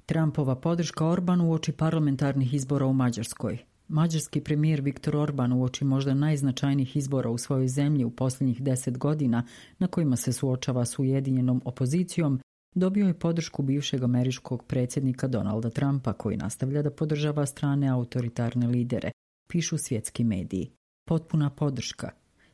Trumpova podrška Orbanu uoči parlamentarnih izbora u Mađarskoj. Mađarski premijer Viktor Orban uoči možda najznačajnijih izbora u svojoj zemlji u posljednjih 10 godina na kojima se suočava s ujedinjenom opozicijom, dobio je podršku bivšeg američkog predsjednika Donalda Trumpa, koji nastavlja da podržava strane autoritarne lidere, pišu svjetski mediji. Potpuna podrška.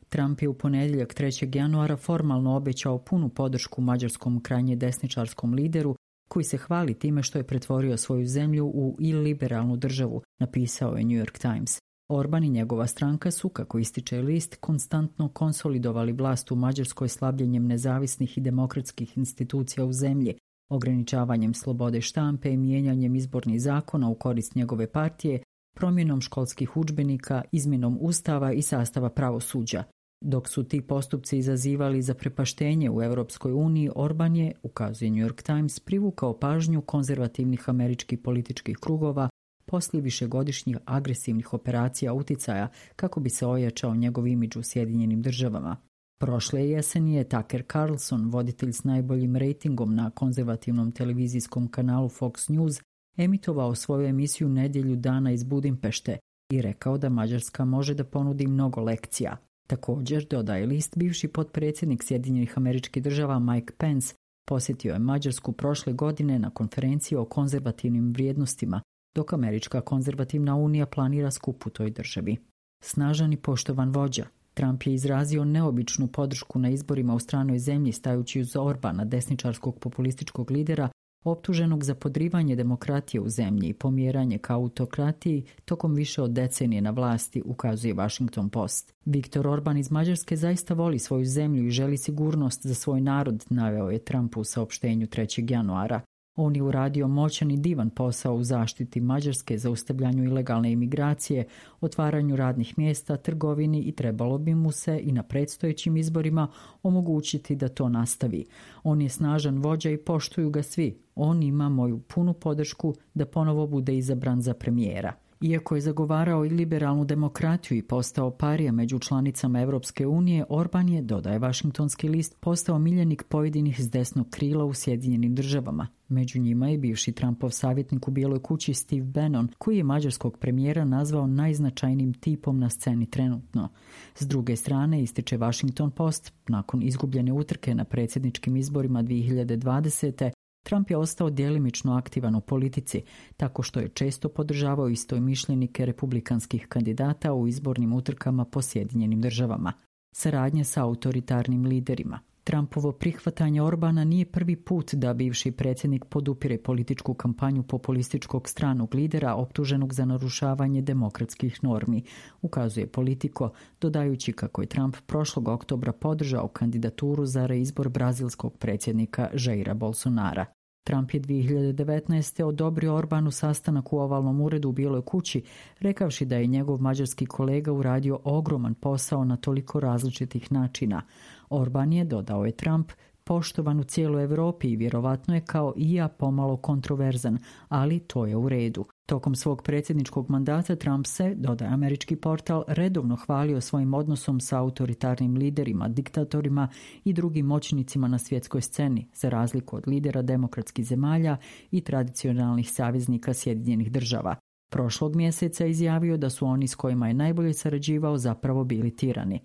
Trump je u ponedjeljak 3. januara formalno obećao punu podršku mađarskom krajnje desničarskom lideru koji se hvali time što je pretvorio svoju zemlju u iliberalnu državu, napisao je New York Times. Orban i njegova stranka su, kako ističe list, konstantno konsolidovali vlast u Mađarskoj slabljenjem nezavisnih i demokratskih institucija u zemlji, ograničavanjem slobode štampe i mijenjanjem izbornih zakona u korist njegove partije, promjenom školskih udžbenika, izmjenom ustava i sastava pravosuđa. Dok su ti postupci izazivali zaprepaštenje u Europskoj uniji, Orban je, ukazuje New York Times, privukao pažnju konzervativnih američkih političkih krugova poslije višegodišnjih agresivnih operacija uticaja kako bi se ojačao njegov imidž u Sjedinjenim državama. Prošle jeseni je Tucker Carlson, voditelj s najboljim rejtingom na konzervativnom televizijskom kanalu Fox News, emitovao svoju emisiju Nedjelju dana iz Budimpešte i rekao da Mađarska može da ponudi mnogo lekcija. Također, dodaje list, bivši potpredsjednik Sjedinjenih Američkih Država Mike Pence posjetio je Mađarsku prošle godine na konferenciji o konzervativnim vrijednostima, dok Američka konzervativna unija planira skup u toj državi. Snažan i poštovan vođa, Trump je izrazio neobičnu podršku na izborima u stranoj zemlji stajući uz Orbana, desničarskog populističkog lidera, optuženog za podrivanje demokratije u zemlji i pomjeranje ka autokratiji tokom više od decenije na vlasti, ukazuje Washington Post. Viktor Orban iz Mađarske zaista voli svoju zemlju i želi sigurnost za svoj narod, naveo je Trump u saopštenju 3. januara. On je uradio moćan i divan posao u zaštiti Mađarske, zaustavljanju ilegalne imigracije, otvaranju radnih mjesta, trgovini i trebalo bi mu se i na predstojećim izborima omogućiti da to nastavi. On je snažan vođa i poštuju ga svi. On ima moju punu podršku da ponovo bude izabran za premijera. Iako je zagovarao i liberalnu demokratiju i postao parija među članicama Europske unije, Orban je, dodaje Washingtonski list, postao miljenik pojedinih s desnog krila u Sjedinjenim državama. Među njima je bivši Trumpov savjetnik u Bijeloj kući Steve Bannon, koji je mađarskog premijera nazvao najznačajnijim tipom na sceni trenutno. S druge strane, ističe Washington Post, nakon izgubljene utrke na predsjedničkim izborima 2020. Trump je ostao djelimično aktivan u politici, tako što je često podržavao istomišljenike republikanskih kandidata u izbornim utrkama po Sjedinjenim državama. Saradnje sa autoritarnim liderima. Trumpovo prihvatanje Orbana nije prvi put da bivši predsjednik podupire političku kampanju populističkog stranog lidera optuženog za narušavanje demokratskih normi, ukazuje Politico, dodajući kako je Trump prošlog oktobra podržao kandidaturu za reizbor brazilskog predsjednika Jaira Bolsonara. Trump je 2019. odobrio Orbanu sastanak u ovalnom uredu u Bijeloj kući, rekavši da je njegov mađarski kolega uradio ogroman posao na toliko različitih načina. Orban je, dodao je Trump, poštovan u cijeloj Europi i vjerovatno je kao i ja pomalo kontroverzan, ali to je u redu. Tokom svog predsjedničkog mandata Trump se, dodaje američki portal, redovno hvalio svojim odnosom sa autoritarnim liderima, diktatorima i drugim moćnicima na svjetskoj sceni, za razliku od lidera demokratskih zemalja i tradicionalnih saveznika Sjedinjenih država. Prošlog mjeseca izjavio da su oni s kojima je najbolje sarađivao zapravo bili tirani.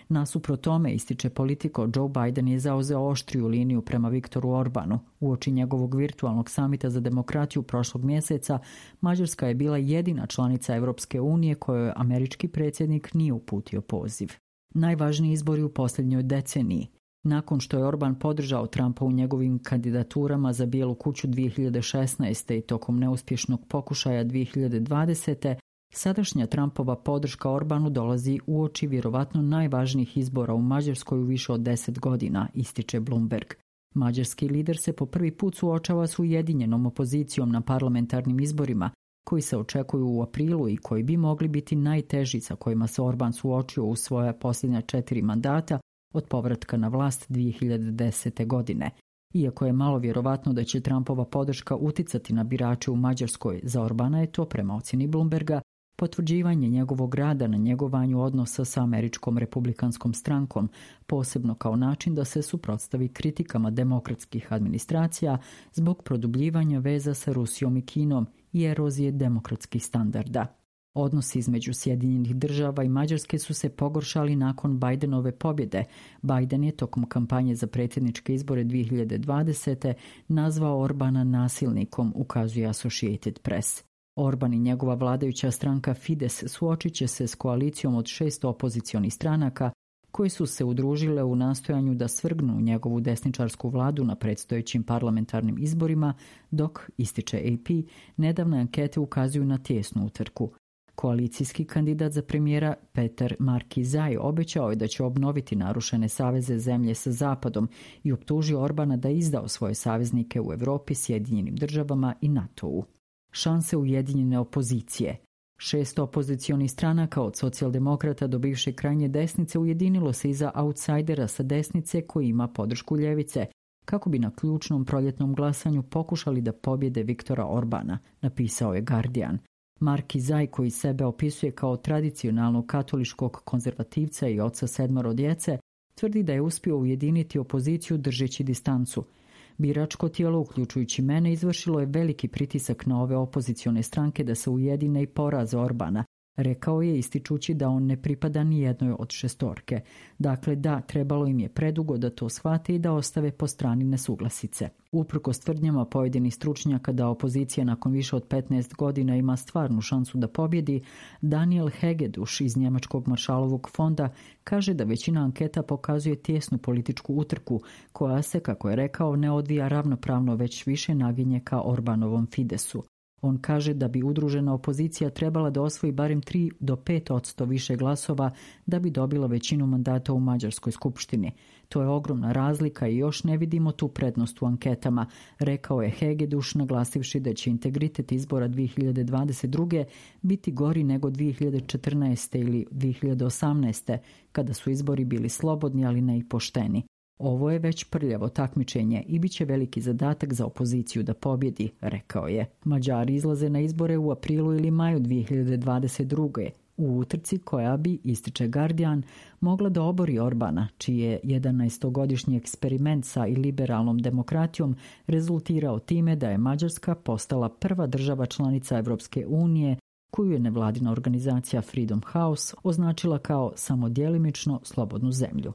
Nasuprot tome, ističe Politico, Joe Biden je zauzeo oštriju liniju prema Viktoru Orbanu. Uoči njegovog virtualnog samita za demokratiju prošlog mjeseca, Mađarska je bila jedina članica Europske unije kojoj američki predsjednik nije uputio poziv. Najvažniji izbori u posljednjoj deceniji. Nakon što je Orban podržao Trumpa u njegovim kandidaturama za Bijelu kuću 2016. i tokom neuspješnog pokušaja 2020. Sadašnja Trumpova podrška Orbanu dolazi uoči vjerovatno najvažnijih izbora u Mađarskoj u više od 10 godina, ističe Bloomberg. Mađarski lider se po prvi put suočava s ujedinjenom opozicijom na parlamentarnim izborima, koji se očekuju u aprilu i koji bi mogli biti najteži sa kojima se Orban suočio u svoja posljednja 4 mandata od povratka na vlast 2010. godine. Iako je malo vjerovatno da će Trumpova podrška uticati na birače u Mađarskoj, za Orbana je to, prema ocjeni Bloomberga, potvrđivanje njegovog rada na njegovanju odnosa sa američkom republikanskom strankom, posebno kao način da se suprotstavi kritikama demokratskih administracija zbog produbljivanja veza sa Rusijom i Kinom i erozije demokratskih standarda. Odnosi između Sjedinjenih Država i Mađarske su se pogoršali nakon Bidenove pobjede. Biden je tokom kampanje za predsjedničke izbore 2020. nazvao Orbana nasilnikom, ukazuje Associated Press. Orban i njegova vladajuća stranka Fides suočit će se s koalicijom od 6 opozicionih stranaka koji su se udružile u nastojanju da svrgnu njegovu desničarsku vladu na predstojećim parlamentarnim izborima, dok, ističe AP, nedavne ankete ukazuju na tijesnu utrku. Koalicijski kandidat za premijera Peter Markizaj obećao je da će obnoviti narušene saveze zemlje sa Zapadom i optužio Orbana da je izdao svoje saveznike u Europi, Sjedinjenim Državama i NATO-u. Šanse ujedinjene opozicije. 6 opozicionih stranaka od socijaldemokrata do bivše krajnje desnice ujedinilo se iza outsidera sa desnice koji ima podršku ljevice, kako bi na ključnom proljetnom glasanju pokušali da pobjede Viktora Orbana, napisao je Guardian. Markizaj, koji sebe opisuje kao tradicionalnog katoličkog konzervativca i oca 7 djece, tvrdi da je uspio ujediniti opoziciju držeći distancu. Biračko tijelo, uključujući mene, izvršilo je veliki pritisak na ove opozicione stranke da se ujedine i poraze Orbana, rekao je ističući da on ne pripada ni jednoj od 6. Dakle, da, trebalo im je predugo da to shvate i da ostave po strani nesuglasice. Uprkos tvrdnjama pojedinih stručnjaka da opozicija nakon više od 15 godina ima stvarnu šansu da pobjedi, Daniel Hegeduš iz Njemačkog Maršalovog fonda kaže da većina anketa pokazuje tijesnu političku utrku koja se, kako je rekao, ne odvija ravnopravno, već više naginje ka Orbanovom Fidesu. On kaže da bi udružena opozicija trebala da osvoji barem 3 do 5% više glasova da bi dobila većinu mandata u Mađarskoj skupštini. To je ogromna razlika i još ne vidimo tu prednost u anketama, rekao je Hegeduš, naglasivši da će integritet izbora 2022. biti gori nego 2014. ili 2018. kada su izbori bili slobodni, ali ne i pošteni. Ovo je već prljavo takmičenje i bit će veliki zadatak za opoziciju da pobjedi, rekao je. Mađari izlaze na izbore u aprilu ili maju 2022. u utrci koja bi, ističe Guardian, mogla da obori Orbana, čiji je 11-godišnji eksperiment sa iliberalnom demokratijom rezultirao time da je Mađarska postala prva država članica Evropske unije koju je nevladina organizacija Freedom House označila kao samo djelimično slobodnu zemlju.